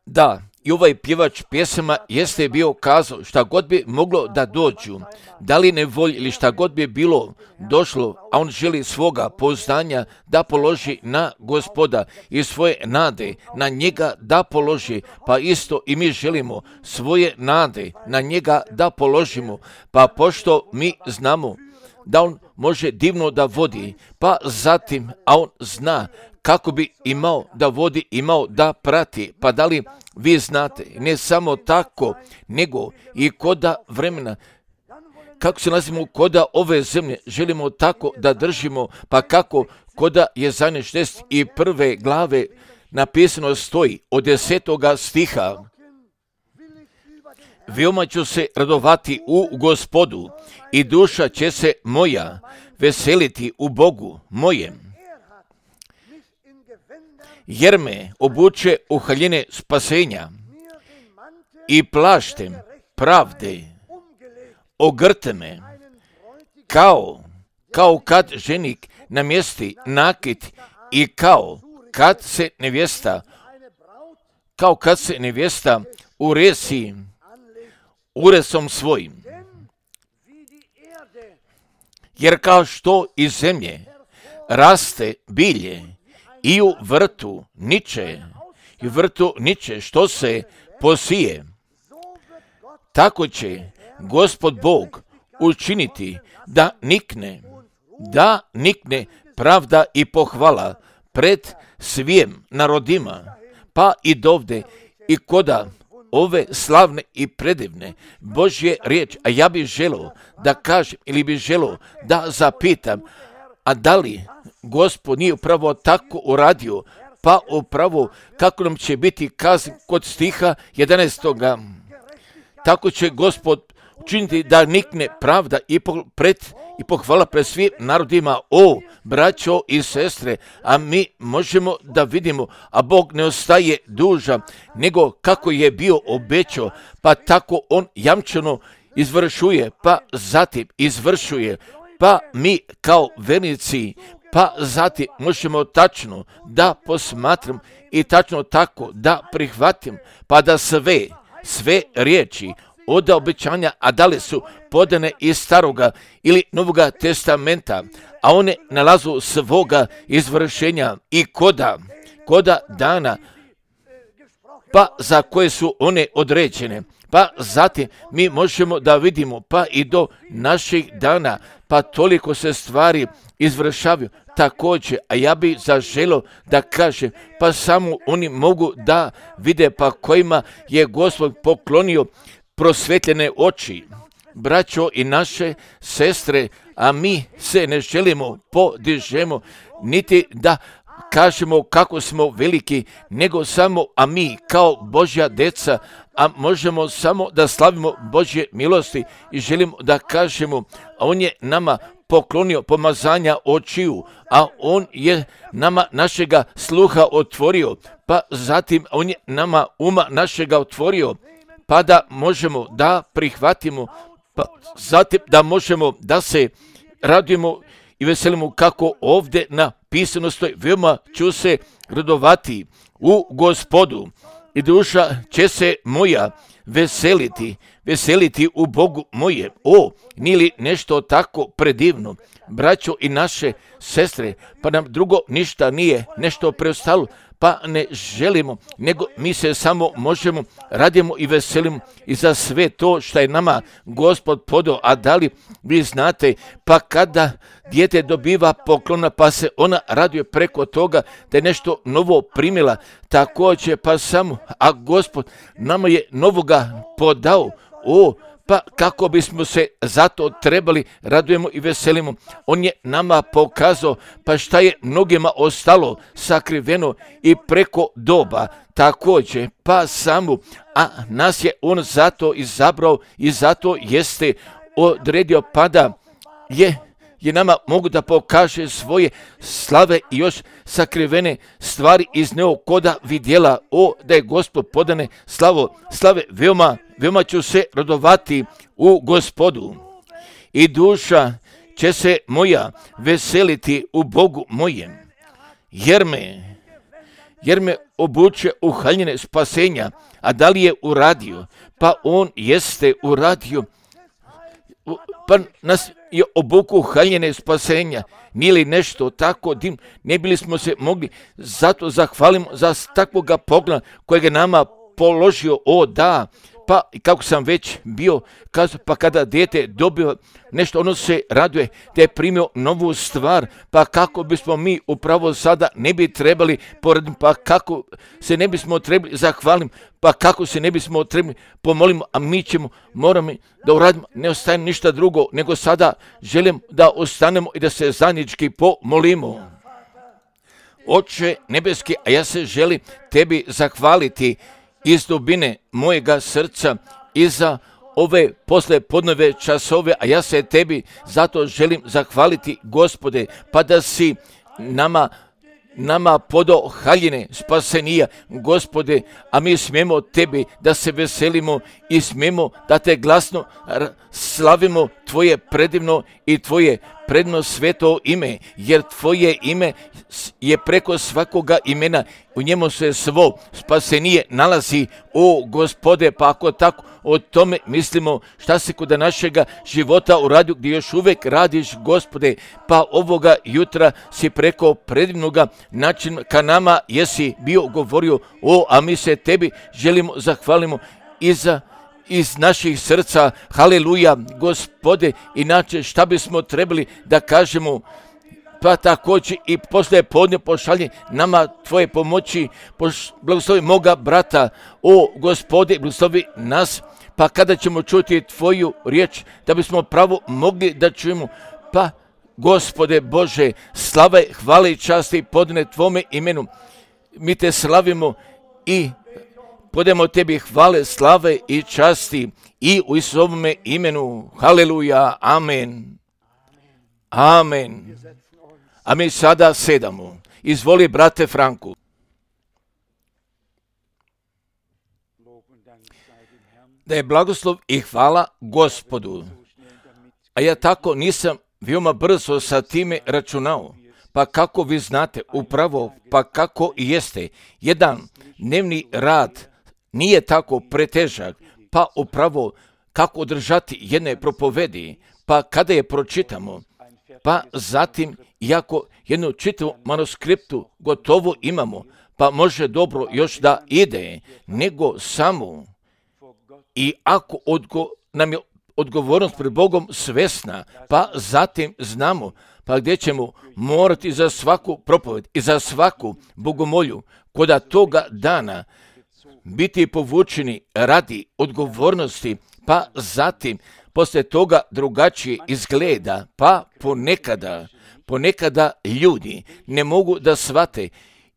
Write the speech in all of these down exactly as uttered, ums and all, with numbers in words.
Da, i ovaj pjevač pjesama jeste bio kazao šta god bi moglo da dođu, da li nevolj ili šta god bi bilo došlo, a on želi svoga pouzdanja da položi na Gospoda i svoje nade na njega da položi, pa isto i mi želimo svoje nade na njega da položimo, pa pošto mi znamo da on može divno da vodi, pa zatim, a on zna kako bi imao da vodi, imao da prati, pa da li vi znate, ne samo tako, nego i koda vremena, kako se nazivamo koda ove zemlje, želimo tako da držimo, pa kako koda Jezaja šezdeset prve glave napisano stoji od desetoga stiha. Veoma ću se radovati u Gospodu i duša će se moja veseliti u Bogu mojem, jer me obuče u haljine spasenja i plaštem pravde ogrte me, kao, kao kad ženik namjesti nakit i kao kad se nevjesta, kao kad se nevjesta uresi uresom svojim. Jer kao što iz zemlje raste bilje i u vrtu niče, i u vrtu niče što se posije, tako će Gospod Bog učiniti da nikne, da nikne pravda i pohvala pred svim narodima, pa i dovde i koda ove slavne i predivne Božje riječ. A ja bih želio da kažem ili bih želio da zapitam, a da li Gospod nije upravo tako uradio, pa upravo kako nam će biti kazan kod stiha jedanaestoga. Tako će Gospod učiniti da nikne pravda i, po, pred, i pohvala pred svim narodima. O, braćo i sestre, a mi možemo da vidimo, a Bog ne ostaje dužan, nego kako je bio obećao, pa tako on jamčeno izvršuje, pa zatim izvršuje, pa mi kao vernici, pa zatim možemo tačno da posmatram i tačno tako da prihvatim, pa da sve, sve riječi od obećanja, a da li su podane iz staroga ili novoga testamenta, a one nalazu svoga izvršenja i koda, koda dana, pa za koje su one određene. Pa zatim mi možemo da vidimo, pa i do naših dana, pa toliko se stvari izvršavaju također, a ja bih zaželio da kažem, pa samo oni mogu da vide, pa kojima je Gospod poklonio prosvetljene oči, braćo i naše sestre, a mi se ne želimo podižemo, niti da kažemo kako smo veliki, nego samo, a mi kao Božja deca, a možemo samo da slavimo Božje milosti i želimo da kažemo, a on je nama poklonio pomazanja očiju, a on je nama našega sluha otvorio, pa zatim on je nama uma našega otvorio, pa da možemo da prihvatimo, pa zatim da možemo da se radujemo i veselimo kako ovdje napisano stoji. Veoma ću se radovati u Gospodu i duša će se moja veseliti, veseliti u Bogu moje. O, nije li nešto tako predivno, braćo i naše sestre, pa nam drugo ništa nije nešto preostalo, pa ne želimo, nego mi se samo možemo, radimo i veselimo i za sve to što je nama Gospod podao. A da li vi znate, pa kada dijete dobiva poklona, pa se ona raduje preko toga da je nešto novo primila, također pa samo, a Gospod nama je novoga podao. O, pa kako bismo se zato trebali radujemo i veselimo. On je nama pokazao, pa šta je mnogima ostalo sakriveno i preko doba također, pa samo, a nas je on zato izabrao i zato jeste odredio, pa da je je nama mogu da pokaže svoje slave i još sakrivene stvari iz neokoda vidjela. O, da je Gospod podane slavo, slave, veoma, veoma ću se radovati u Gospodu. I duša će se moja veseliti u Bogu mojem, jer me, jer me obuče u haljine spasenja. A da li je uradio? Pa on jeste uradio. Pa nas je obuku haljine spasenja. Nije li nešto tako dim? Ne bili smo se mogli, zato zahvalimo za takvoga pogleda kojeg je nama položio. O da, pa kako sam već bio kazao, pa kada dijete dobio nešto, ono se raduje da je primio novu stvar, pa kako bismo mi upravo sada ne bi trebali porediti, pa kako se ne bismo trebali zahvalim, pa kako se ne bismo trebali pomolimo, a mi ćemo, moramo da uradimo, ne ostaje ništa drugo, nego sada želim da ostanemo i da se zajednički pomolimo. Oče nebeski, a ja se želim tebi zahvaliti iz dubine mojega srca i za ove posle podneve časove, a ja se tebi zato želim zahvaliti, Gospode, pa da si nama nama podo haljine spasenija, Gospode, a mi smijemo tebi da se veselimo i smijemo da te glasno slavimo tvoje predivno i tvoje predno sveto ime, jer tvoje ime je preko svakoga imena, u njemu se svo spasenije nalazi, o Gospode, pa ako tako o tome mislimo, šta se kod našega života u radiju gdje još uvijek radiš, Gospode, pa ovoga jutra si preko predivnoga načina ka nama jesi bio govorio, o, a mi se tebi želimo zahvalimo i za iz naših srca, haleluja, Gospode, inače šta bismo trebali da kažemo, pa također i posle podne pošalje nama tvoje pomoći, blagoslovi moga brata, o Gospode, blagoslovi nas, pa kada ćemo čuti tvoju riječ, da bismo pravo mogli da čujemo, pa Gospode Bože, slava, hvale i časti podne tvome imenu, mi te slavimo i podemo tebi hvale, slave i časti i u Isusovome imenu. Haleluja, amen. Amen. A mi sada sedamo. Izvoli, brate Franku. Da je blagoslov i hvala Gospodu. A ja tako nisam veoma brzo sa time računao. Pa kako vi znate, upravo, pa kako i jeste, jedan dnevni rad nije tako pretežak, pa upravo kako održati jedne propovedi, pa kada je pročitamo, pa zatim, iako jednu čitavu manuskriptu gotovo imamo, pa može dobro još da ide, nego samo, i ako odgo, nam je odgovornost pred Bogom svesna, pa zatim znamo, pa gdje ćemo morati za svaku propoved i za svaku bogomolju, koda toga dana biti povučeni radi odgovornosti, pa zatim poslije toga drugačije izgleda, pa ponekada, ponekada ljudi ne mogu da shvate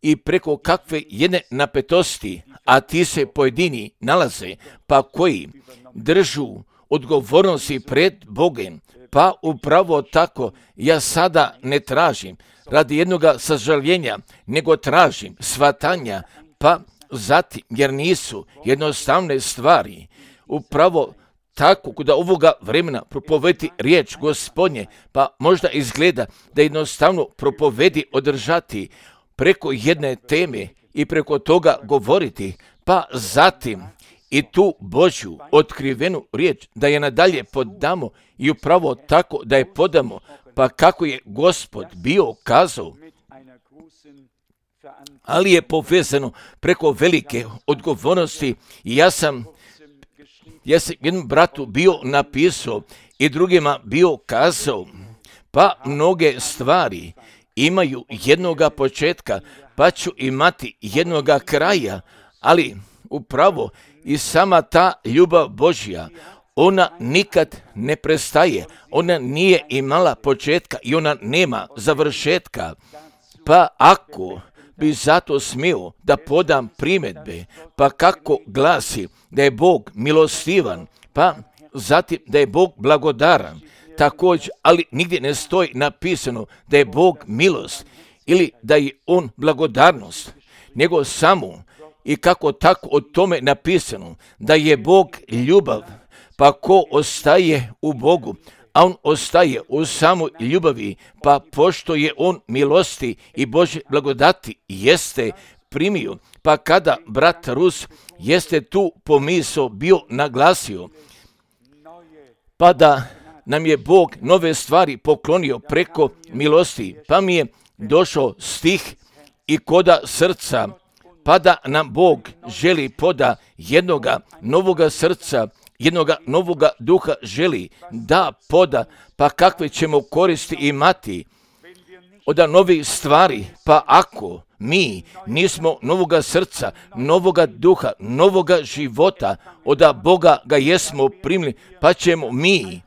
i preko kakve jedne napetosti, a ti se pojedini nalaze, pa koji držu odgovornosti pred Bogom, pa upravo tako ja sada ne tražim radi jednoga sažaljenja, nego tražim shvatanja, pa zatim, jer nisu jednostavne stvari, upravo tako kod ovoga vremena propovedi riječ Gospodnje, pa možda izgleda da jednostavno propovedi održati preko jedne teme i preko toga govoriti, pa zatim i tu Božju otkrivenu riječ da je nadalje podamo i upravo tako da je podamo, pa kako je Gospod bio kazao, ali je povezano preko velike odgovornosti. I ja sam, ja sam jednom bratu bio napisao i drugima bio kazao, pa mnoge stvari imaju jednoga početka, pa ću imati jednoga kraja, ali upravo i sama ta ljubav Božja, ona nikad ne prestaje, ona nije imala početka i ona nema završetka, pa ako bi zato smio da podam primjedbe, pa kako glasi da je Bog milostivan, pa zatim da je Bog blagodaran, također, ali nigdje ne stoji napisano da je Bog milost ili da je On blagodarnost, nego samo i kako tako o tome napisano da je Bog ljubav, pa ko ostaje u Bogu, a on ostaje u samoj ljubavi, pa pošto je on milosti i Božje blagodati jeste, primio, pa kada brat Rus jeste tu pomisao bio naglasio, pa da nam je Bog nove stvari poklonio preko milosti, pa mi je došao stih i koda srca, pa da nam Bog želi poda jednoga novoga srca, jednoga novoga duha želi da poda, pa kakve ćemo koristi imati od novih stvari, pa ako mi nismo novoga srca, novoga duha, novoga života, od Boga ga jesmo primili, pa ćemo mi,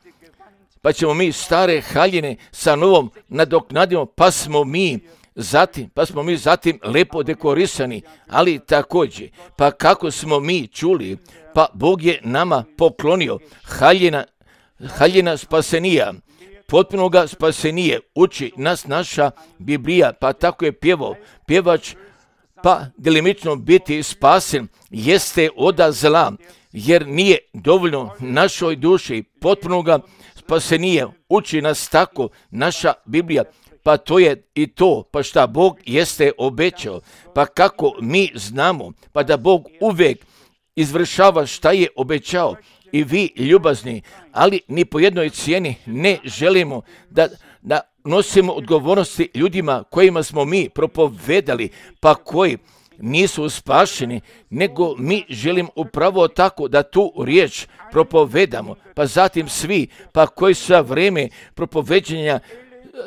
pa ćemo mi stare haljine sa novom nadoknadimo, pa smo mi zatim, pa smo mi zatim lepo dekorisani, ali također, pa kako smo mi čuli, pa Bog je nama poklonio haljina, haljina spasenija, potpunoga spasenije, uči nas naša Biblija, pa tako je pjevao pjevač, pa delimično biti spasen jeste od zla, jer nije dovoljno našoj duši potpunoga spasenije, uči nas tako naša Biblija, pa to je i to, pa šta Bog jeste obećao, pa kako mi znamo, pa da Bog uvijek izvršava šta je obećao. I vi ljubazni, ali ni po jednoj cijeni ne želimo da, da nosimo odgovornosti ljudima kojima smo mi propovedali, pa koji nisu spašeni, nego mi želimo upravo tako da tu riječ propovedamo, pa zatim svi, pa koji su za vrijeme propoveđenja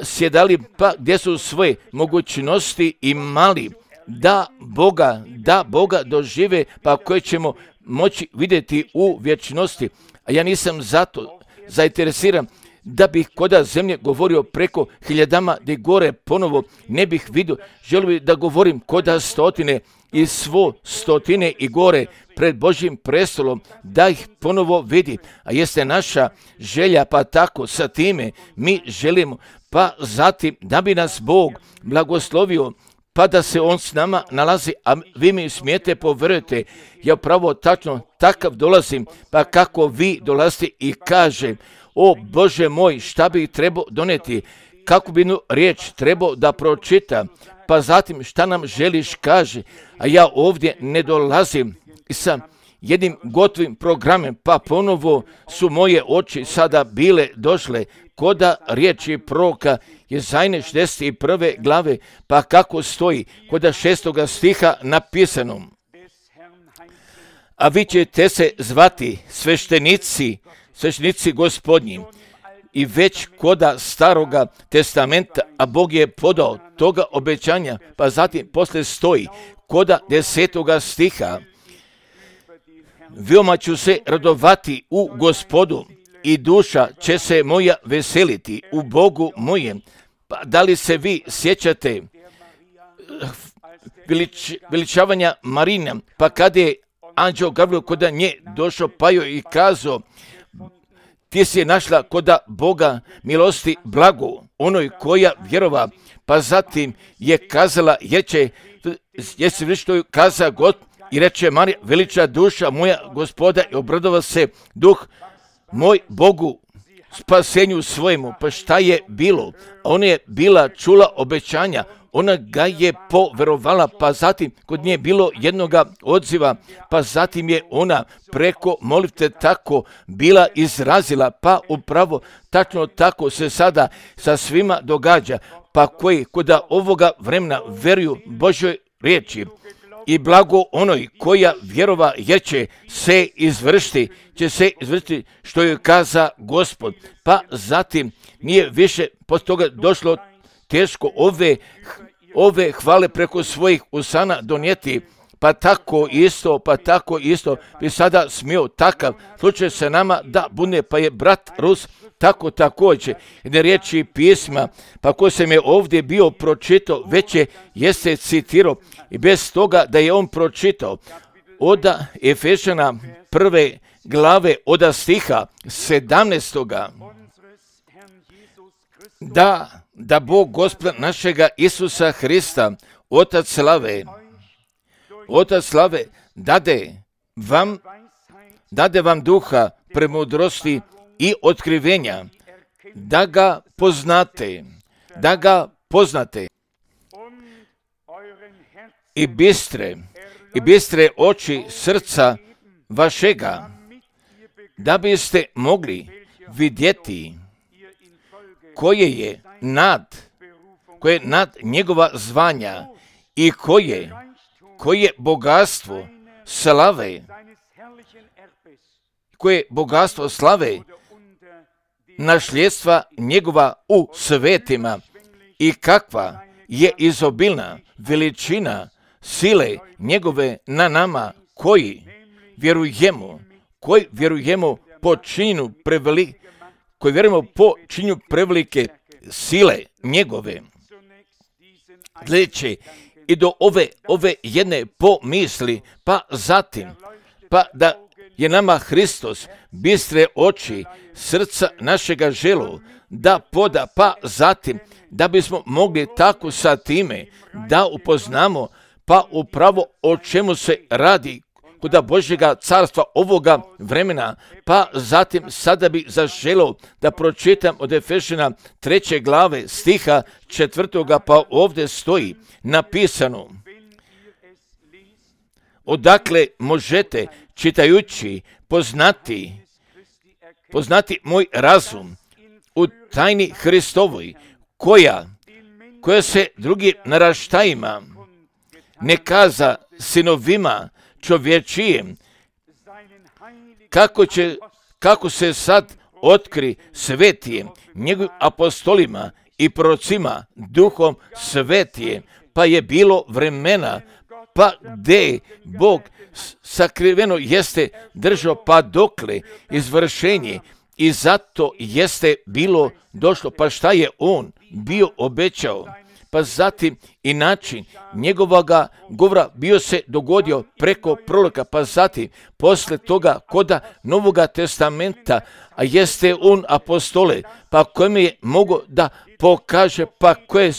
sjedali, pa gdje su svoje mogućnosti imali da Boga, da Boga dožive, pa koje ćemo moći vidjeti u vječnosti. A ja nisam zato zainteresiran da bih koda zemlje govorio preko hiljadama gdje gore ponovo ne bih vidio. Želim bih da govorim koda stotine i svo stotine i gore pred Božjim prestolom, da ih ponovo vidi. A jeste naša želja, pa tako sa time mi želimo, pa zatim da bi nas Bog blagoslovio, pa da se on s nama nalazi, a vi mi smijete povjerujete, ja pravo tačno takav dolazim, pa kako vi dolazite i kaže, o Bože moj, šta bi trebao doneti, kako bi jednu riječ trebao da pročita, pa zatim šta nam želiš kaže, a ja ovdje ne dolazim sa jednim gotovim programem, pa ponovo su moje oči sada bile došle koda riječi proroka Jezajne šezdeset prve glave, pa kako stoji koda šestoga stiha napisano. A vi ćete se zvati sveštenici, sveštenici Gospodnji. I već koda staroga testamenta, a Bog je podao toga obećanja, pa zatim posle stoji koda desetoga stiha. Veoma ću se radovati u Gospodu i duša će se moja veseliti u Bogu mojem. Pa da li se vi sjećate velič, veličavanja Marina, pa kada je anđeo Gavrilo koda nje došao, pa joj i kazao, ti si našla koda Boga milosti blago, onoj koja vjerova, pa zatim je kazala, jer će, jesi vi što je kaza God, i reče Marija, veliča duša moja Gospoda i obradova se duh moj Bogu spasenju svojemu. Pa šta je bilo? Ona je bila čula obećanja, ona ga je poverovala, pa zatim kod nje je bilo jednoga odziva, pa zatim je ona preko molitve tako bila izrazila, pa upravo tačno tako se sada sa svima događa, pa koji koda ovoga vremena veruju Božoj riječi. I blago onoj koja vjerova jer će se izvršiti, će se izvršiti što je kaza Gospod. Pa zatim nije više poslije toga došlo teško ove, ove hvale preko svojih usana donijeti. Pa tako isto, pa tako isto bi sada smio takav slučaj se nama da bude, pa je brat Rus tako također. Jedne riječi pisma, pa ko se me ovdje bio pročitao, već je jeste citirao i bez toga da je on pročitao od Efešana prve glave od stiha sedamnaestoga. Da, da Bog Gospoda našega Isusa Hrista, Otac slave, Otac slave, dade vam, dade vam duha premudrosti i otkrivenja, da ga poznate, da ga poznate i bistre, i bistre oči srca vašega, da biste mogli vidjeti koje je nad, koje je nad njegova zvanja i koje, koje bogatstvo slave, koje bogatstvo slave nasljedstva njegova u svetima i kakva je izobilna veličina sile njegove na nama koji vjerujemo, koji vjerujemo po činju prevelike, koji vjerujemo po činju prevelike sile njegove. Gledeći i do ove, ove jedne pomisli, pa zatim, pa da je nama Hristos bistre oči srca našega želu da poda, pa zatim da bismo mogli tako sa time da upoznamo pa upravo o čemu se radi kod Božjega carstva ovoga vremena, pa zatim sada bi zaželio da pročitam od Efešina treće glave stiha četvrtoga, pa ovdje stoji napisano: odakle možete čitajući poznati, poznati moj razum u tajni Hristovoj, koja, koja se drugim naraštajima ne kaza sinovima čovječijem, kako će, kako se sad otkri svetijem, njegovim apostolima i prorocima, duhom svetijem, pa je bilo vremena, pa gdje Bog sakriveno jeste držao, pa dokle izvršenje, i zato jeste bilo došlo, pa šta je on bio obećao, pa zatim i način njegovoga govora bio se dogodio preko proroka, pa zatim posle toga koda Novoga testamenta, a jeste on apostole, pa kojem je mogo da pokaže pa koje,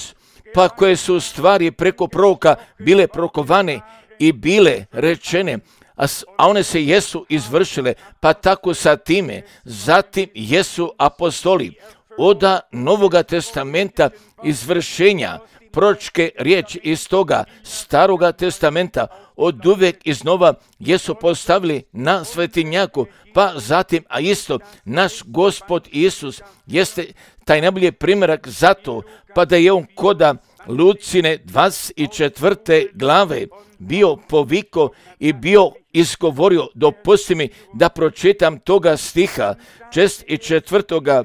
pa koje su stvari preko proroka bile prokovane i bile rečene, a, a one se jesu izvršile, pa tako sa time zatim jesu apostoli oda Novoga testamenta izvršenja proročke riječi iz toga Staroga testamenta od uvijek iznova jesu postavili na svetinjaku, pa zatim, a isto naš Gospod Isus jeste taj najbolji primjerak zato, pa da je on koda Lucine dvadeset četvrte glave bio poviko i bio izgovorio, dopusti mi da pročitam toga stiha šest i četvrtoga,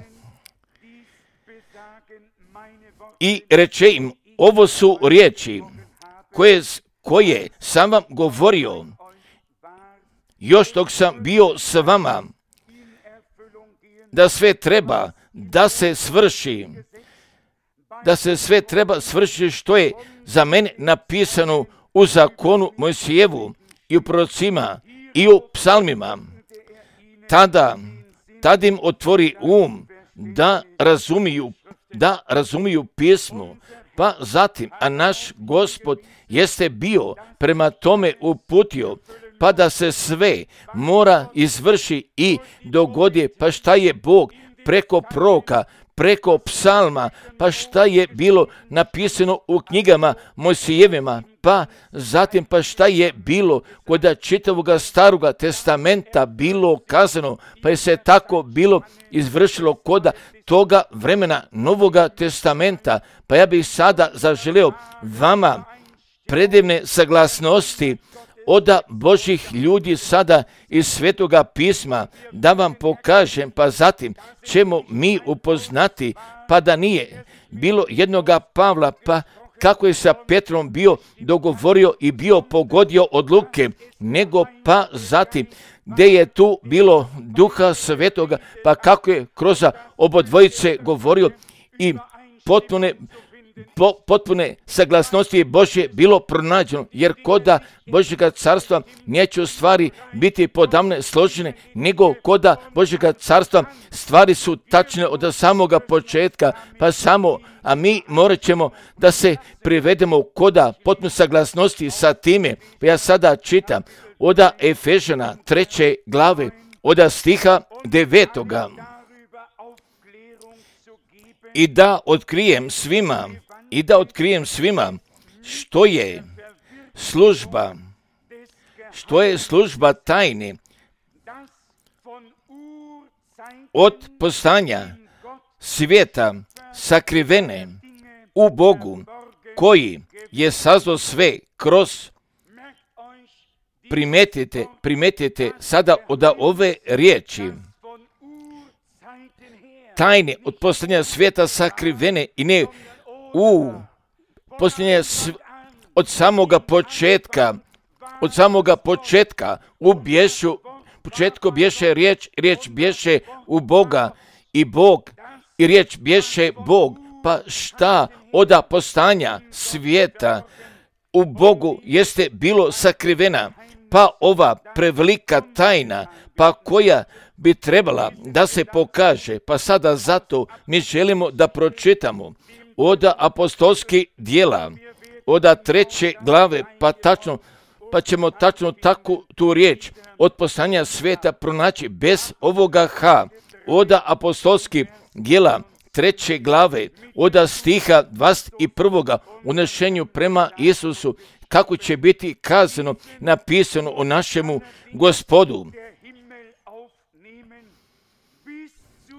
i reče im: ovo su riječi koje, koje sam vam govorio još dok sam bio s vama, da sve treba da se svrši, da se sve treba svršiti što je za mene napisano u zakonu Mojsijevu i u prorocima i u psalmima. Tada, tada im otvori um da razumiju, da razumiju pismo, pa zatim, a naš Gospod jeste bio prema tome uputio, pa da se sve mora izvrši i dogodi, pa šta je Bog preko proroka, preko psalma, pa šta je bilo napisano u knjigama Mojsijevima, pa zatim pa šta je bilo kod čitavoga Staroga testamenta bilo kazano, pa je se tako bilo izvršilo kod toga vremena Novoga testamenta. Pa ja bih sada zaželio vama predivne saglasnosti od Božih ljudi sada iz Svetoga pisma da vam pokažem, pa zatim ćemo mi upoznati, pa da nije bilo jednoga Pavla, pa kako je sa Petrom bio dogovorio i bio pogodio odluke, nego pa zatim gdje je tu bilo Duha Svetoga, pa kako je kroz obodvojice govorio i potpune Po, potpune saglasnosti Božje bilo pronađeno, jer koda Božjega carstva neće stvari biti podamne složene, nego koda Božjega carstva stvari su tačne od samoga početka, pa samo, a mi morat ćemo da se privedemo koda potpune saglasnosti sa time. Pa ja sada čitam od Efežana treće glave, od stiha devetoga. I da otkrijem svima, i da otkrijem svima što je služba, što je služba tajne od postanja svijeta sakrivene u Bogu, koji je sazdao sve kroz, primetite, primetite sada od ove riječi, tajne od postanja svijeta sakrivene i ne u postanja sv... od samoga početka, od samoga početka u bješu, početku bješe riječ, riječ bješe u Boga i Bog, i riječ bješe Bog, pa šta oda postanja svijeta u Bogu jeste bilo sakrivena, pa ova prevelika tajna, pa koja bi trebala da se pokaže, pa sada zato mi želimo da pročitamo oda apostolskih djela, oda treće glave, pa tačno, pa ćemo tačno takvu tu riječ od postanja svijeta pronaći bez ovoga H, oda apostolskih djela treće glave, oda stiha dvadeset prvog unešenju prema Isusu, kako će biti kazano, napisano o našemu Gospodu,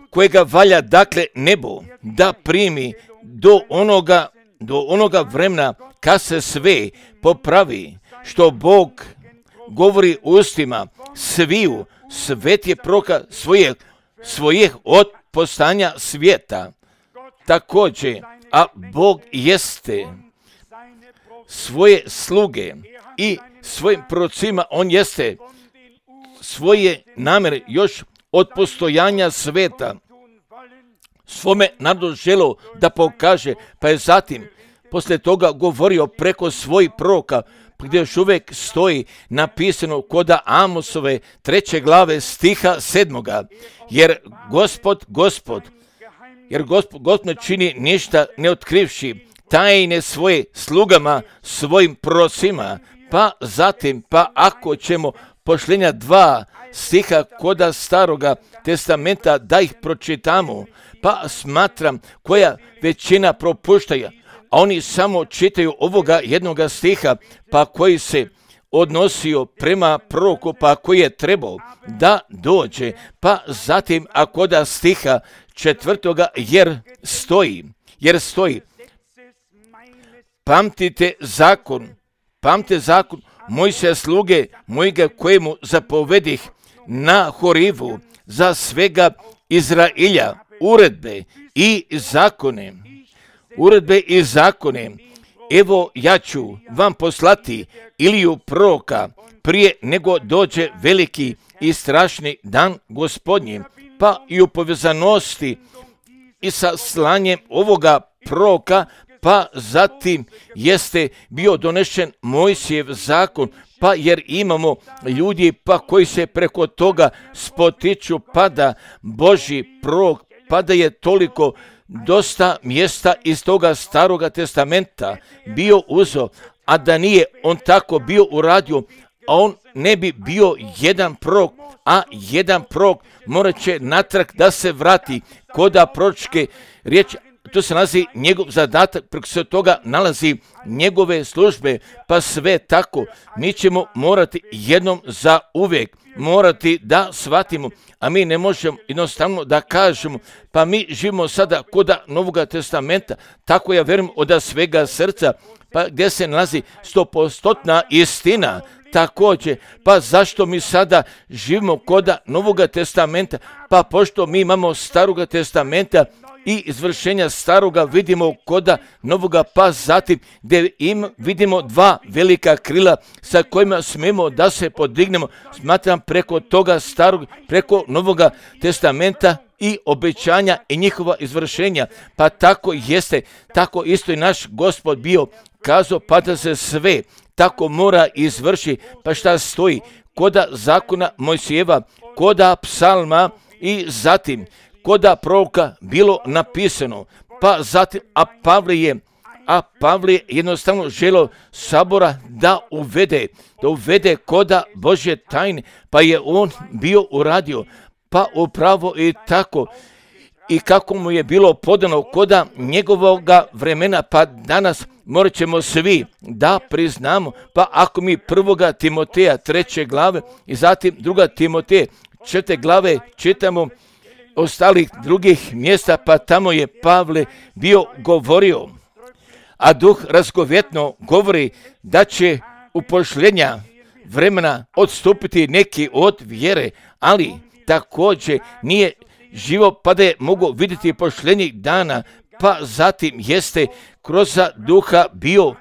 kojega valja dakle nebo da primi do onoga, do onoga vremena kad se sve popravi, što Bog govori ustima sviju svetije proka svojih, svojih od postanja svijeta. Također, a Bog jeste svoje sluge i svojim prorocima, on jeste svoje namjere još od postojanja svijeta svome narodu želo da pokaže, pa je zatim poslije toga govorio preko svojih proroka, gdje još uvijek stoji napisano koda Amosove treće glave stiha sedmoga, jer Gospod, Gospod, jer Gospod, Gospod ne čini ništa ne otkrivši tajne svoje slugama, svojim prorocima, pa zatim, pa ako ćemo pošljenja dva stiha koda Staroga testamenta da ih pročitamo, pa smatram koja većina propuštaja, a oni samo čitaju ovoga jednoga stiha, pa koji se odnosio prema proroku, pa koji je trebao da dođe, pa zatim ako da stiha četvrtoga, jer stoji, jer stoji, pamtite zakon, pamtite zakon Mojsija sluge mojega kojemu zapovedih na Horivu za svega Izrailja, uredbe i zakone, uredbe i zakone. Evo ja ću vam poslati Iliju proroka prije nego dođe veliki i strašni dan Gospodnji, pa i u povezanosti i sa slanjem ovoga proroka, pa zatim jeste bio donešen Mojsijev zakon, pa jer imamo ljudi pa koji se preko toga spotiču, pa da Božji prorok, pa da je toliko dosta mjesta iz toga Staroga testamenta bio uzo, a da nije on tako bio uradio, a on ne bi bio jedan prorok, a jedan prorok morat će natrag da se vrati koda proročke riječi. Tu se nalazi njegov zadatak, preko se toga nalazi njegove službe, pa sve tako mi ćemo morati jednom za uvijek morati da shvatimo, a mi ne možemo jednostavno da kažemo, pa mi živimo sada koda Novoga testamenta, tako ja vjerujem od svega srca, pa gdje se nalazi stopostotna istina. Također, pa zašto mi sada živimo koda Novoga testamenta? Pa pošto mi imamo Staroga testamenta i izvršenja Staroga vidimo koda Novoga, pa zatim gdje im vidimo dva velika krila sa kojima smijemo da se podignemo, smatram preko toga Starog, preko Novoga testamenta i obećanja i njihova izvršenja. Pa tako jeste, tako isto i naš Gospod bio kazao, pa da se sve tako mora izvrši, pa šta stoji koda zakona Mojsijeva, koda psalma i zatim koda proroka bilo napisano, pa zatim, a Pavle je, a Pavle je jednostavno želio sabora da uvede, da uvede koda Božje tajne, pa je on bio uradio, pa upravo i tako. i kako mu je bilo podano koda njegovoga vremena, pa danas morat ćemo svi da priznamo, pa ako mi prvoga Timoteja treće glave i zatim druga Timoteja četvrte glave čitamo ostalih drugih mjesta, pa tamo je Pavle bio govorio, a duh razgovjetno govori da će u posljednja vremena odstupiti neki od vjere, ali također nije živo pa da je mogu vidjeti posljednjih dana, pa zatim jeste kroz duha bio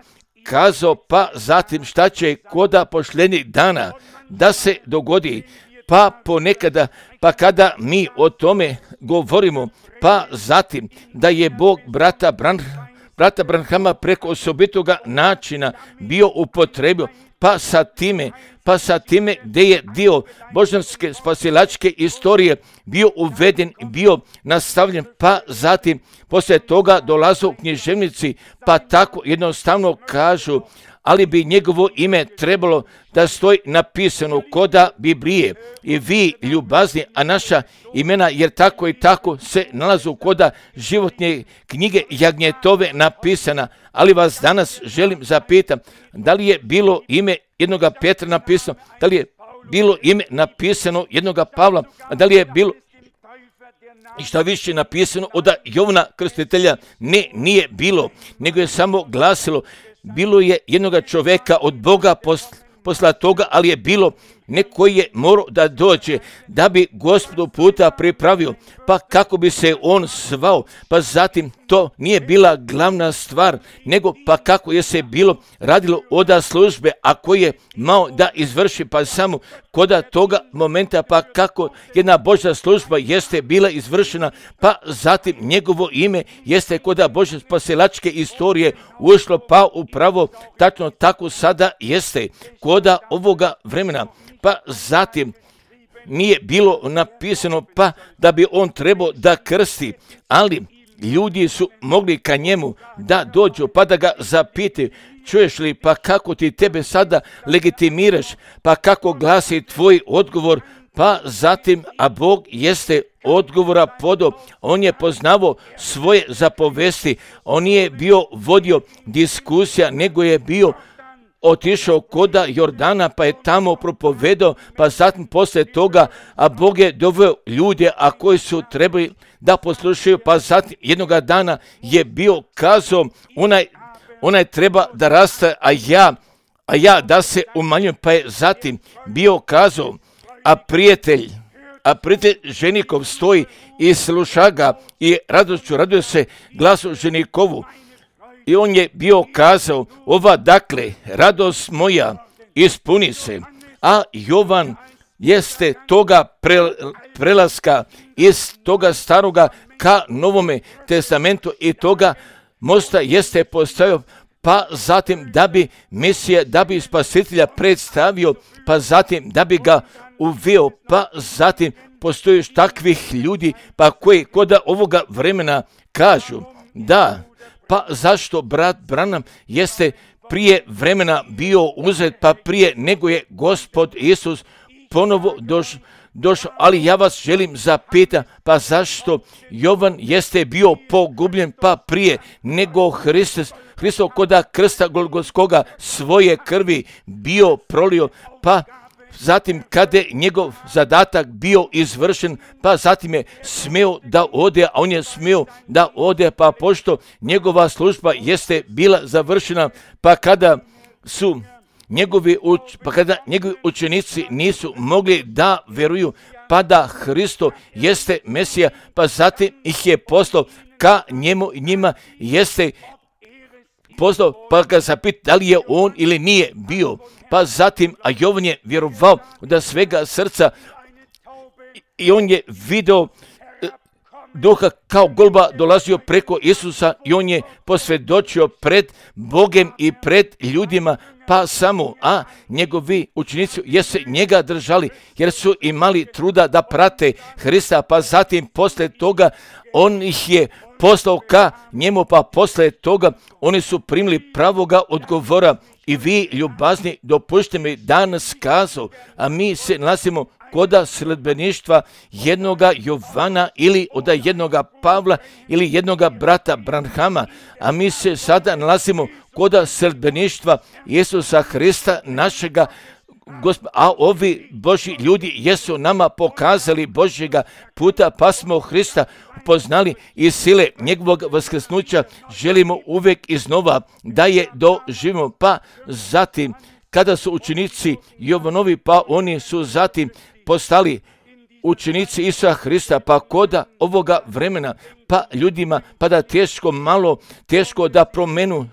kazao, pa zatim šta će koda posljednjih dana da se dogodi, pa ponekada, pa kada mi o tome govorimo, pa zatim da je Bog brata Bran, brata Branhama preko osobitoga načina bio upotrebio, pa sa time, pa sa time gdje je dio božanske spasilačke istorije bio uveden, bio nastavljen, pa zatim poslije toga dolazu književnici, pa tako jednostavno kažu, ali bi njegovo ime trebalo da stoji napisano koda Biblije i vi ljubazni, a naša imena jer tako i tako se nalazu koda životne knjige Jagnjetove napisana, ali vas danas želim zapitam, da li je bilo ime jednoga Petra napisano, da li je bilo ime napisano jednoga Pavla, a da li je bilo i šta više napisano od Jovana Krstitelja? Ne, nije bilo, nego je samo glasilo, bilo je jednoga čovjeka od Boga posla, posla toga, ali je bilo neko je morao da dođe da bi Gospodu puta pripravio, pa kako bi se on zvao, pa zatim to nije bila glavna stvar, nego pa kako je se bilo radilo oda službe, a koji je mao da izvrši, pa samo koda toga momenta, pa kako jedna Božja služba jeste bila izvršena, pa zatim njegovo ime jeste koda Božje spasilačke istorije ušlo, pa upravo tačno tako sada jeste koda ovoga vremena. Pa zatim nije bilo napisano pa da bi on trebao da krsti, ali ljudi su mogli ka njemu da dođu pa da ga zapite, čuješ li, pa kako ti tebe sada legitimiraš, pa kako glasi tvoj odgovor, pa zatim, a Bog jeste odgovora podo, on je poznavao svoje zapovesti, on nije bio vodio diskusija, nego je bio otišao koda Jordana, pa je tamo propovedao, pa zatim poslije toga, a Bog je doveo ljude, a koji su trebali da poslušaju, pa zatim jednoga dana je bio kazao, onaj, onaj treba da raste, a ja, a ja da se umanjujem, pa je zatim bio kazao, a prijatelj, a prijatelj ženikov stoji i sluša ga i radošću raduje se glasu ženikovu. I on je bio kazao, ova dakle, radost moja, ispuni se. A Jovan jeste toga pre, prelaska iz toga staroga ka Novome testamentu i toga mosta jeste postavio, pa zatim da bi Mesija, da bi Spasitelja predstavio, pa zatim da bi ga uveo, pa zatim postoji takvih ljudi, pa koji koda ovoga vremena kažu, da, pa zašto brat Branham jeste prije vremena bio uzet, pa prije nego je Gospod Isus ponovo došao, došao, ali ja vas želim zapitati, pa zašto Jovan jeste bio pogubljen, pa prije nego Hristos, Hristo koda krsta Golgotskoga svoje krvi bio prolio, pa zatim kada je njegov zadatak bio izvršen, pa zatim je smio da ode, a on je smio da ode, pa pošto njegova služba jeste bila završena, pa kada su njegovi, uč, pa kada njegovi učenici nisu mogli da vjeruju, pa da Hristo jeste Mesija, pa zatim ih je poslao ka njemu i njima jeste poslao, pa ga zapita da li je on ili nije bio. Pa zatim, a Jovan je vjerovao da svega srca i on je video duha kao golba dolazio preko Isusa i on je posvjedočio pred Bogem i pred ljudima, pa samo, a njegovi učenici jesu njega držali jer su imali truda da prate Hrista, pa zatim posle toga on ih je poslao ka njemu, pa posle toga oni su primili pravoga odgovora. I vi, ljubazni, dopušte mi danas kazu, a mi se nalazimo koda sledbeništva jednoga Jovana ili od jednoga Pavla ili jednoga brata Branhama, a mi se sada nalazimo koda sledbeništva Isusa Hrista našega Gospod, a ovi Božji ljudi jesu nama pokazali Božjega puta, pa smo Hrista upoznali i sile njegovog vaskrsnuća želimo uvijek iznova da je doživimo. Pa zatim, kada su učenici Jovanovi, pa oni su zatim postali učenici Isusa Hrista, pa koda ovoga vremena, pa ljudima, pa da teško malo, teško da promenu.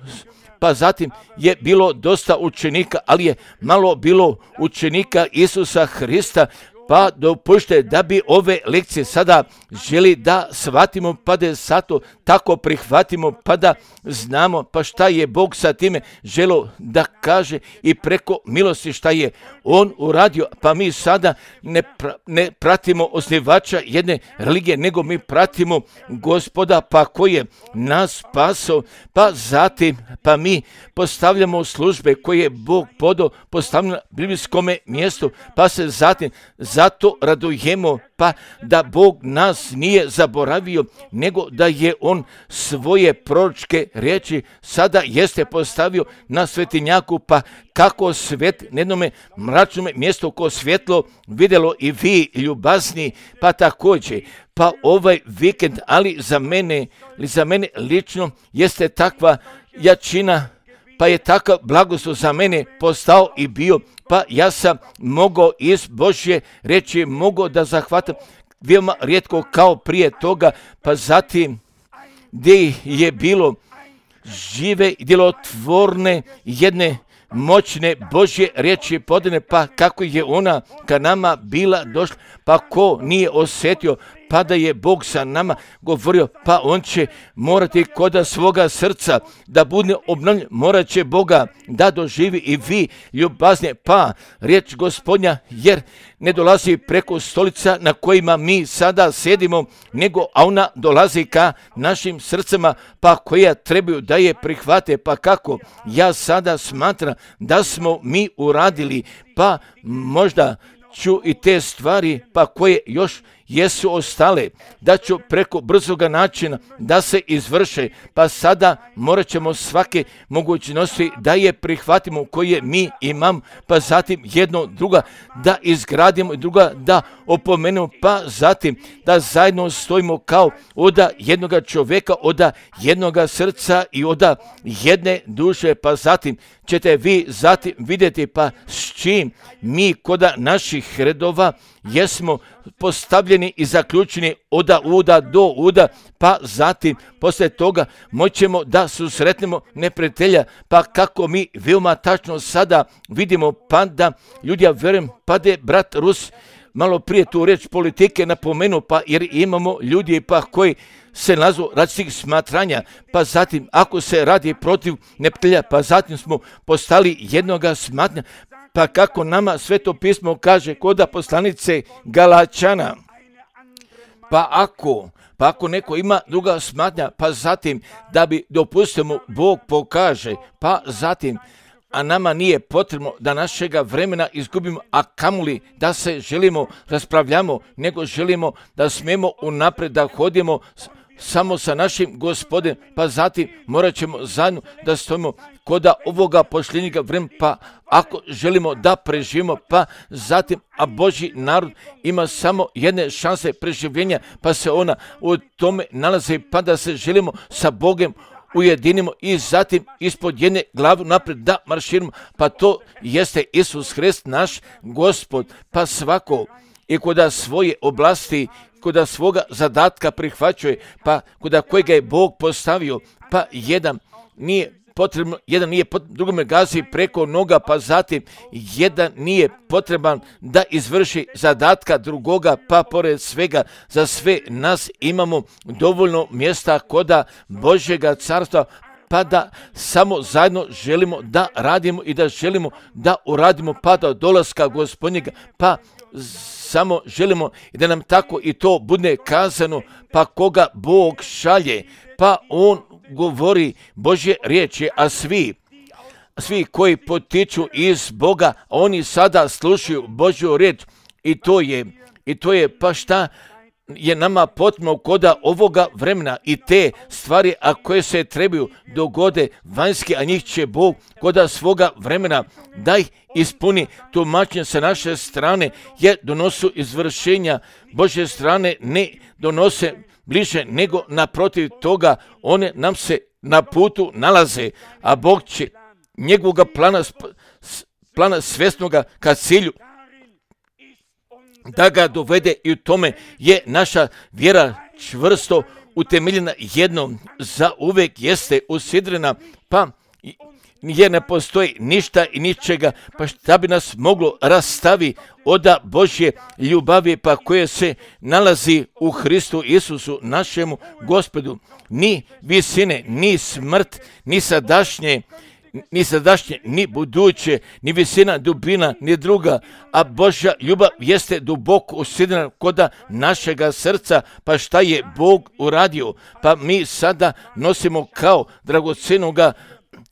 Pa zatim je bilo dosta učenika, ali je malo bilo učenika Isusa Hrista, pa dopušte da bi ove lekcije sada želi da shvatimo, pa da sato tako prihvatimo, pa da znamo pa šta je Bog sa time želo da kaže i preko milosti šta je On uradio. Pa mi sada ne, pra, ne pratimo osnivača jedne religije, nego mi pratimo Gospoda, pa koji je nas spasao, pa zatim pa mi postavljamo službe koje je Bog podao postavljeno na biblijskome mjestu, pa se zatim zato radujemo, pa da Bog nas nije zaboravio, nego da je On svoje proročke riječi sada jeste postavio na svetinjaku, pa kako svet na jednome mračnome mjestu ko svjetlo vidjelo i vi ljubazni, pa također, pa ovaj vikend, ali za mene, ili za mene lično jeste takva jačina, pa je takav blagoslov za mene postao i bio, pa ja sam mogao iz Božje reći, mogao da zahvatam veoma rijetko kao prije toga, pa zatim gdje je bilo žive i djelotvorne jedne moćne Božje riječi podane, pa kako je ona ka nama bila došla, pa ko nije osjetio, pa da je Bog sa nama govorio, pa on će morati koda svoga srca da bude obnovljen, morat će Boga da doživi i vi ljubaznije, pa riječ Gospodnja, jer ne dolazi preko stolica na kojima mi sada sedimo, nego a ona dolazi ka našim srcima, pa koja trebaju da je prihvate, pa kako ja sada smatram da smo mi uradili, pa možda ću i te stvari, pa koje još jesu ostale, da ću preko brzoga načina da se izvrše, pa sada morat ćemo svake mogućnosti da je prihvatimo koje mi imam, pa zatim jedno druga da izgradimo i druga da opomenemo, pa zatim da zajedno stojimo kao oda jednoga čovjeka, oda jednoga srca i oda jedne duše, pa zatim ćete vi zatim vidjeti pa s čim mi koda naših redova jesmo postavljeni i zaključeni oda uda do uda, pa zatim poslije toga moćemo da susretnemo neprijatelja, pa kako mi veoma tačno sada vidimo, pa da ljudi, ja vjerujem, pa da je brat Rus malo prije tu riječ politike napomenuo, pa jer imamo ljudi pa koji se nalazu različitih smatranja, pa zatim ako se radi protiv neprijatelja, pa zatim smo postali jednoga smatranja, pa kako nama Sveto pismo kaže koda poslanice Galačana, pa ako, pa ako neko ima druga smatranja, pa zatim da bi dopustimo Bog pokaže, pa zatim, a nama nije potrebno da našega vremena izgubimo, a kamoli da se želimo raspravljamo, nego želimo da smijemo unaprijed da hodimo samo sa našim Gospodem, pa zatim morat ćemo zajedno da stojimo koda ovoga posljednjega vremena, pa ako želimo da preživimo, pa zatim, a Božji narod ima samo jedne šanse preživljenja, pa se ona u tome nalazi, pa da se želimo sa Bogom ujedinimo i zatim ispod jedne glave naprijed da marširamo, pa to jeste Isus Hrist naš Gospod, pa svako i koda svoje oblasti, koda svoga zadatka prihvaćuje, pa koda kojega je Bog postavio, pa jedan nije potrebno, jedan nije potrebno, drugome gazi preko noga, pa zatim jedan nije potreban da izvrši zadatka drugoga, pa pored svega za sve nas imamo dovoljno mjesta koda Božjega carstva, pa da samo zajedno želimo da radimo i da želimo da uradimo pa do dolaska Gospodnjega, pa samo želimo i da nam tako i to bude kazano, pa koga Bog šalje, pa on govori Božje riječi, a svi, svi koji potiču iz Boga, oni sada slušaju Božju riječ I to je, i to je pa šta je nama potrebno koda ovoga vremena i te stvari, a koje se trebaju dogode vanjske, a njih će Bog koda svoga vremena da ih ispuni. Tumačenje sa naše strane je donosu izvršenja Božje strane, ne donose bliže, nego naprotiv toga one nam se na putu nalaze, a Bog će njegovog plana, plana svjesnoga ka cilju da ga dovede, i u tome je naša vjera čvrsto utemeljena jednom, za uvek jeste usidrena, pa jer ne postoji ništa i ničega, pa šta bi nas moglo rastavi od Božje ljubavi, pa koje se nalazi u Hristu Isusu, našemu Gospodu. Ni visine, ni smrt, ni sadašnje, ni sadašnje, ni buduće, ni visina, dubina, ni druga, a Božja ljubav jeste duboko usidrena koda našega srca. Pa šta je Bog uradio? Pa mi sada nosimo kao dragocenoga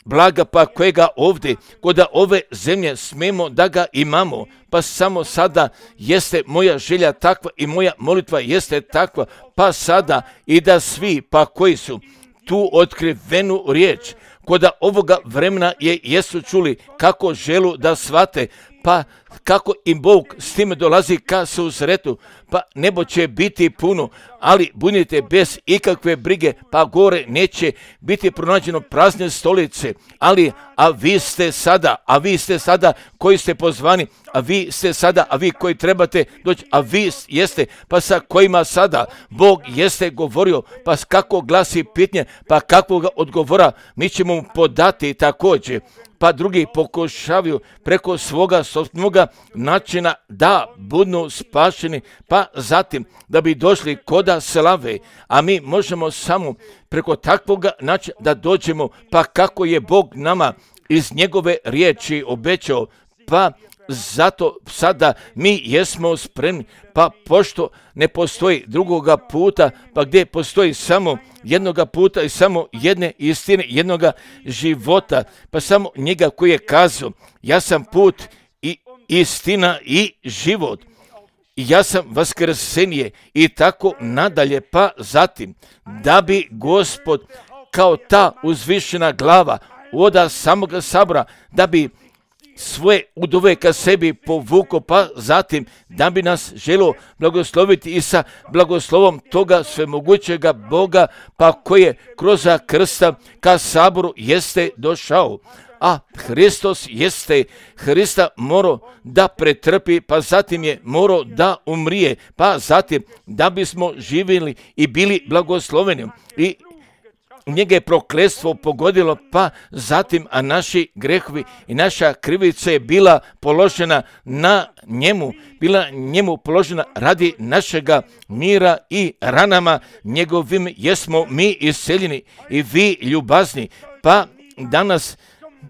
blaga, pa kojega ovdje, koda ove zemlje smemo da ga imamo. Pa samo sada jeste moja želja takva i moja molitva jeste takva, pa sada i da svi, pa koji su tu otkrivenu riječ koda ovoga vremena je jesu čuli, kako želu da shvate, pa kako im Bog s time dolazi ka susretu, pa nebo će biti puno, ali budite bez ikakve brige, pa gore neće biti pronađeno prazne stolice, ali a vi ste sada, a vi ste sada koji ste pozvani, a vi ste sada, a vi koji trebate doći, a vi jeste, pa sa kojima sada Bog jeste govorio, pa kako glasi pitanje, pa kakvog odgovora mi ćemo mu podati također. Pa drugi pokušavaju preko svoga sopstvenoga načina da budu spašeni, pa zatim da bi došli koda slave, a mi možemo samo preko takvoga načina da dođemo, pa kako je Bog nama iz njegove riječi obećao, pa zato sada mi jesmo spremni, pa pošto ne postoji drugoga puta, pa gdje postoji samo jednoga puta i samo jedne istine, jednoga života, pa samo njega koji je kazao, ja sam put i istina i život, i ja sam vaskrsenje, i tako nadalje, pa zatim da bi Gospod kao ta uzvišena glava oda samoga sabora, da bi svoje udove ka sebi povuko, pa zatim da bi nas želo blagosloviti i sa blagoslovom toga svemogućega Boga, pa koje kroz krsta ka saboru jeste došao. A Hristos jeste, Hrista morao da pretrpi, pa zatim je morao da umrije, pa zatim da bismo živjeli i bili blagosloveni. I njega je prokletstvo pogodilo, pa zatim, a naši grehovi i naša krivica je bila položena na njemu, bila njemu položena radi našega mira, i ranama njegovim jesmo mi isceljeni i vi ljubazni. Pa danas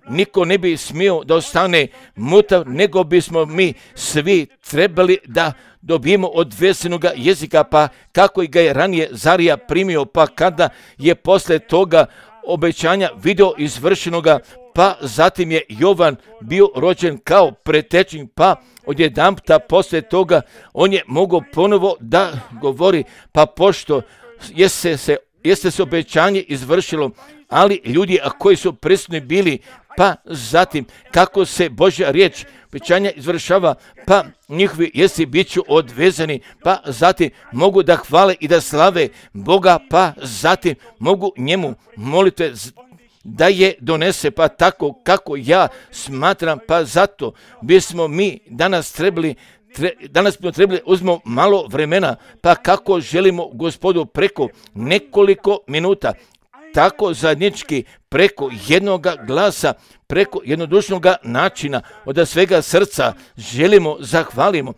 niko ne bi smio da ostane mutav, nego bismo mi svi trebali da dobijemo od vesenoga jezika, pa kako ga je ranije Zarija primio, pa kada je posle toga obećanja video izvršenoga, pa zatim je Jovan bio rođen kao pretečnik, pa odjedanputa posle toga on je mogao ponovo da govori, pa pošto jeste se, jeste se obećanje izvršilo, ali ljudi a koji su prisutni bili, pa zatim kako se Božja riječ obećanja izvršava, pa njihovi jesi bit ću odvezani, pa zatim mogu da hvale i da slave Boga, pa zatim mogu njemu molitve da je donese, pa tako kako ja smatram, pa zato bismo mi danas trebali Tre, danas smo trebali uzmemo malo vremena, pa kako želimo Gospodu preko nekoliko minuta, tako zajednički preko jednoga glasa, preko jednodušnog načina, od svega srca želimo zahvalimo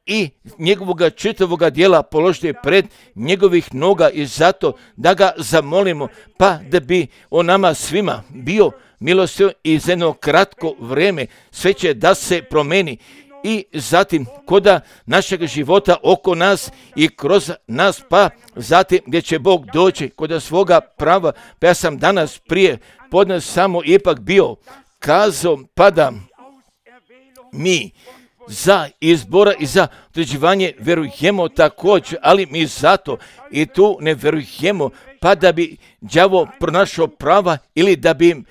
i njegovoga čitavoga dijela položiti pred njegovih noga, i zato da ga zamolimo, pa da bi on nama svima bio milostivan i za jedno kratko vrijeme sve će da se promeni. I zatim koda našeg života oko nas i kroz nas, pa zatim gdje će Bog doći koda svoga prava. Pa ja sam danas prije podne samo ipak bio kazao, pa da mi za izbora i za određivanje verujemo također, ali mi zato i tu ne verujemo pa da bi đavo pronašao prava ili da bi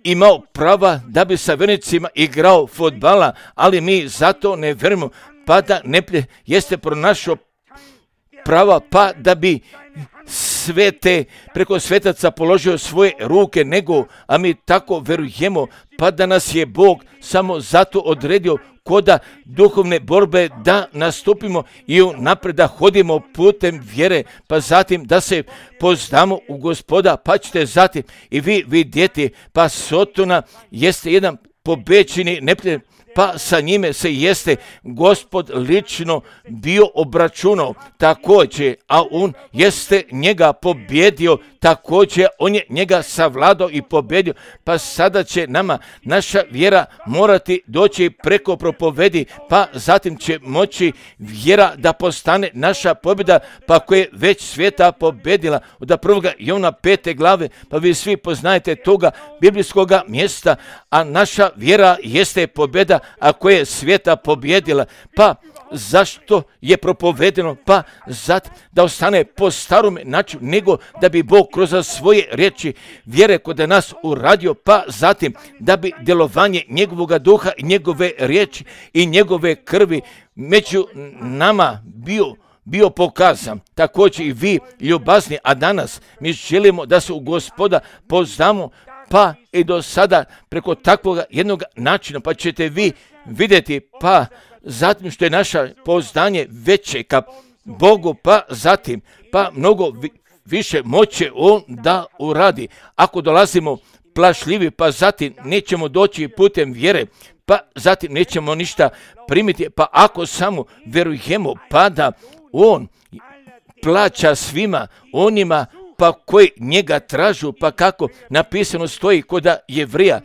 imao prava da bi sa vernicima igrao fudbala, ali mi zato ne verujemo pa da ne jeste pronašao prava pa da bi svete preko svetaca položio svoje ruke, nego, a mi tako verujemo pa da nas je Bog samo zato odredio koda duhovne borbe da nastupimo i unaprijed da hodimo putem vjere, pa zatim da se poznamo u Gospoda, pa ćete zatim i vi vidjeti, pa Sotona jeste jedan pobećeni neprijatelj, pa sa njime se jeste Gospod lično bio obračunao također, a on jeste njega pobjedio također, on je njega savladao i pobjedio, pa sada će nama naša vjera morati doći preko propovedi, pa zatim će moći vjera da postane naša pobjeda, pa koja je već svijeta pobjedila. Od prvoga Jovana pete glave, pa vi svi poznajete toga biblijskoga mjesta, a naša vjera jeste pobjeda, a koja je svijeta pobjedila. Pa zašto je propovedeno? Pa zato da ostane po starom načinu, nego da bi Bog kroz svoje riječi vjere kod nas uradio, pa zatim da bi djelovanje njegovog duha i njegove riječi i njegove krvi među nama bio bio pokazan. Također i vi ljubazni, a danas mi želimo da se u Gospoda poznamo, pa i do sada preko takvog jednog načina, pa ćete vi vidjeti, pa zatim što je naša poznanje veće ka Bogu, pa zatim, pa mnogo vi, više moće on da uradi. Ako dolazimo plašljivi, pa zatim nećemo doći putem vjere, pa zatim nećemo ništa primiti, pa ako samo verujemo, pa da on plaća svima onima pa koji njega tražu, pa kako napisano stoji kod Jevrija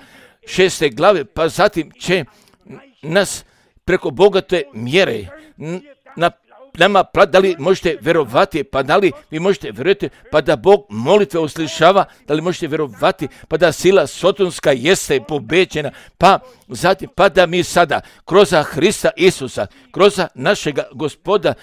šeste glave, pa zatim će nas preko bogate mjere na nama, da li možete vjerovati, pa da li vi možete vjerovati, pa da Bog molitve uslišava, da li možete vjerovati, pa da sila sotonska jeste pobeđena, pa zatim, pa da mi sada kroz Hrista Isusa, kroz našega Gospoda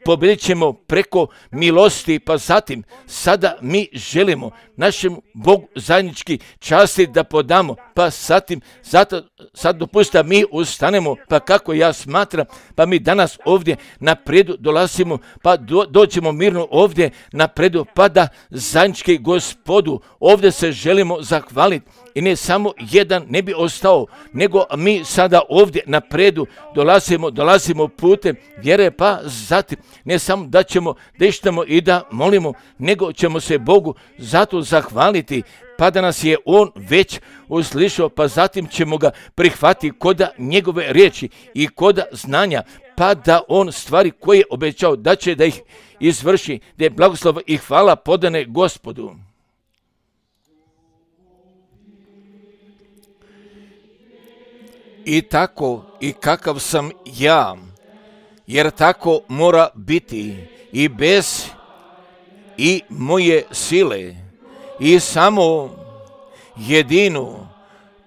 pobjedit ćemo preko milosti, pa zatim sada mi želimo našem Bogu zajednički časti da podamo, pa zatim zato, sad dopustite mi ustanemo, pa kako ja smatram, pa mi danas ovdje napredu dolazimo, pa do, dođemo mirno ovdje napredu, pa da zajednički Gospodu ovdje se želimo zahvaliti. I ne samo jedan ne bi ostao, nego mi sada ovdje napredu dolazimo, dolazimo putem vjere, pa zatim ne samo da ćemo deštamo i da molimo, nego ćemo se Bogu zato zahvaliti, pa da nas je On već uslišao, pa zatim ćemo ga prihvatiti kod njegove riječi i kod znanja, pa da On stvari koje je obećao da će da ih izvrši, da je blagoslov i hvala podane Gospodu. I tako i kakav sam ja, jer tako mora biti i bez i moje sile i samo jedinu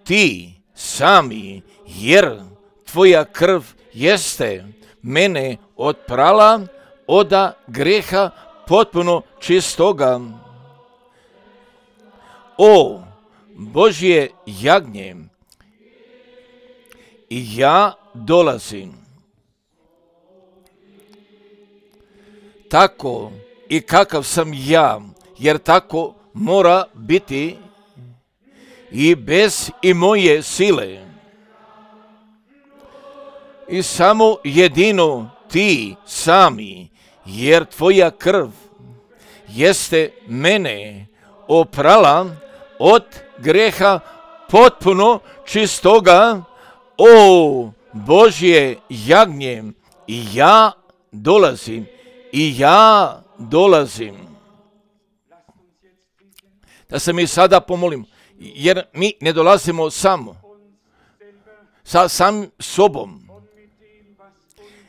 ti sami, jer tvoja krv jeste mene otprala od greha potpuno čistoga. O Božje jagnje, i ja dolazim. Tako i kakav sam ja, jer tako mora biti i bez i moje sile. I samo jedino ti sami, jer tvoja krv jeste mene oprala od greha potpuno čistoga. O Božje jagnje, i ja dolazim, i ja dolazim. Da se mi sada pomolimo, jer mi ne dolazimo samo, sa sam sobom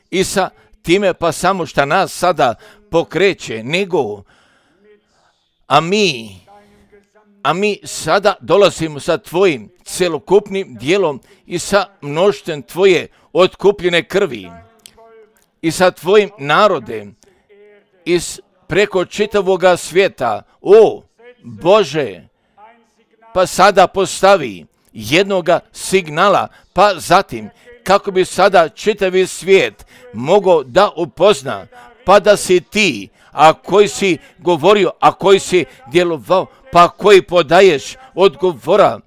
i sa time pa samo šta nas sada pokreće, nego, a mi a mi sada dolazimo sa tvojim celokupnim dijelom i sa mnoštvom tvoje otkupljene krvi i sa tvojim narodem i preko čitavoga svijeta. O Bože, pa sada postavi jednoga signala, pa zatim kako bi sada čitavi svijet mogao da upozna, pa da si ti, a koji si govorio, a koji si djelovao, pa koji podaješ odgovora,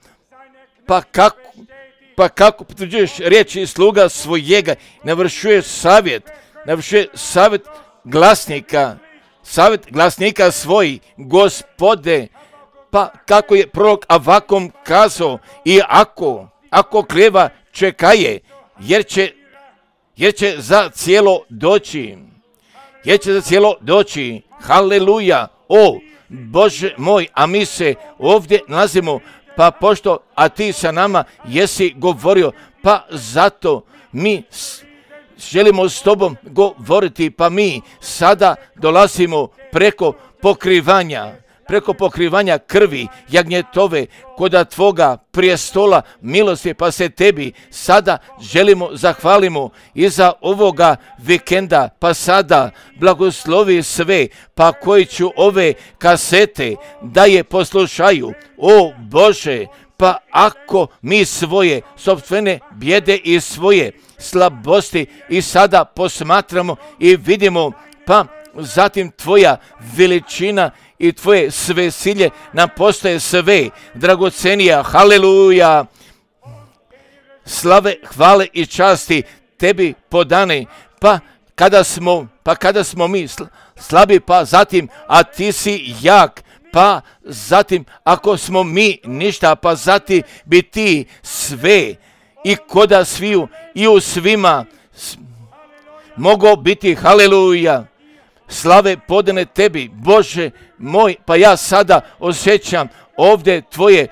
pa kako, pa kako potvrđuješ riječi sluga svojega, navršuješ savjet, navršuješ savjet glasnika, savjet glasnika svoj, Gospode, pa kako je prorok Avakum kazao, i ako, ako klijeva čekaje, jer će, jer će za cijelo doći, jer će za cijelo doći, haleluja, o Bože moj, a mi se ovdje nalazimo, pa pošto, a ti sa nama jesi govorio, pa zato mi želimo s tobom govoriti, pa mi sada dolazimo preko pokrivanja, preko pokrivanja krvi jagnjetove koda tvoga prijestola milosti, pa se tebi sada želimo zahvalimo i za ovoga vikenda, pa sada blagoslovi sve, pa koji ću ove kasete da je poslušaju, o Bože, pa ako mi svoje sopstvene bijede i svoje slabosti i sada posmatramo i vidimo, pa zatim tvoja veličina i tvoje sve silje nam postaje sve dragocenija, haleluja, slave, hvale i časti tebi podane, pa kada smo, pa kada smo mi slabi, pa zatim, a ti si jak, pa zatim, ako smo mi ništa, pa zatim bi ti sve i koda sviju i u svima mogao biti, haleluja, slave podane tebi, Bože moj, pa ja sada osjećam ovdje tvoje,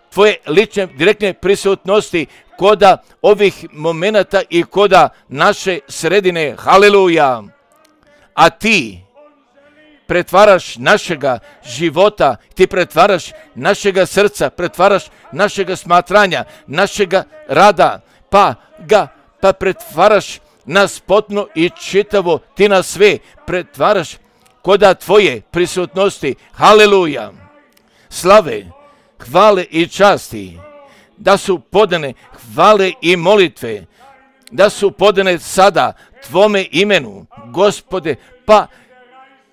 tvoje lične, direktne prisutnosti koda ovih momenata i koda naše sredine, haleluja, a ti pretvaraš našega života, ti pretvaraš našega srca, pretvaraš našega smatranja, našega rada, pa ga, pa pretvaraš nas potpuno i čitavo, ti nas sve pretvaraš koda tvoje prisutnosti, haleluja, slave, hvale i časti, da su podane hvale i molitve, da su podane sada tvome imenu, Gospode, pa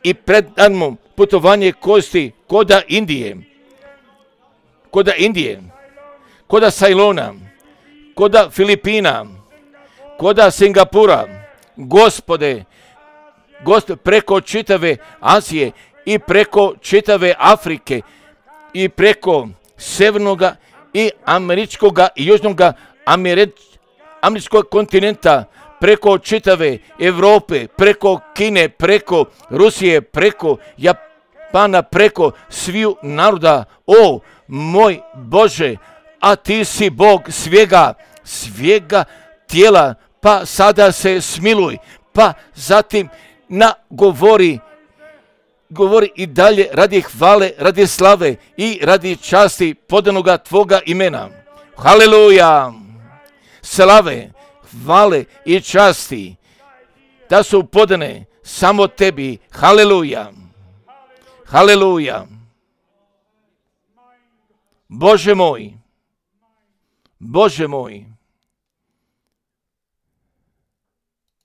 i predamo putovanje kosti koda Indije, koda Indije, koda Sajlona, koda Filipina, koda Singapura, Gospode, Gospode, preko čitave Azije i preko čitave Afrike i preko severnoga i američkoga i južnoga američkog kontinenta, preko čitave Europe, preko Kine, preko Rusije, preko Japana, preko sviju naroda, o moj Bože, a ti si Bog svega, svega tijela, pa sada se smiluj, pa zatim nagovori, govori i dalje radi hvale, radi slave i radi časti podanoga tvoga imena. Haleluja! Slave, hvale i časti da su podane samo tebi. Haleluja! Haleluja! Bože moj, Bože moj,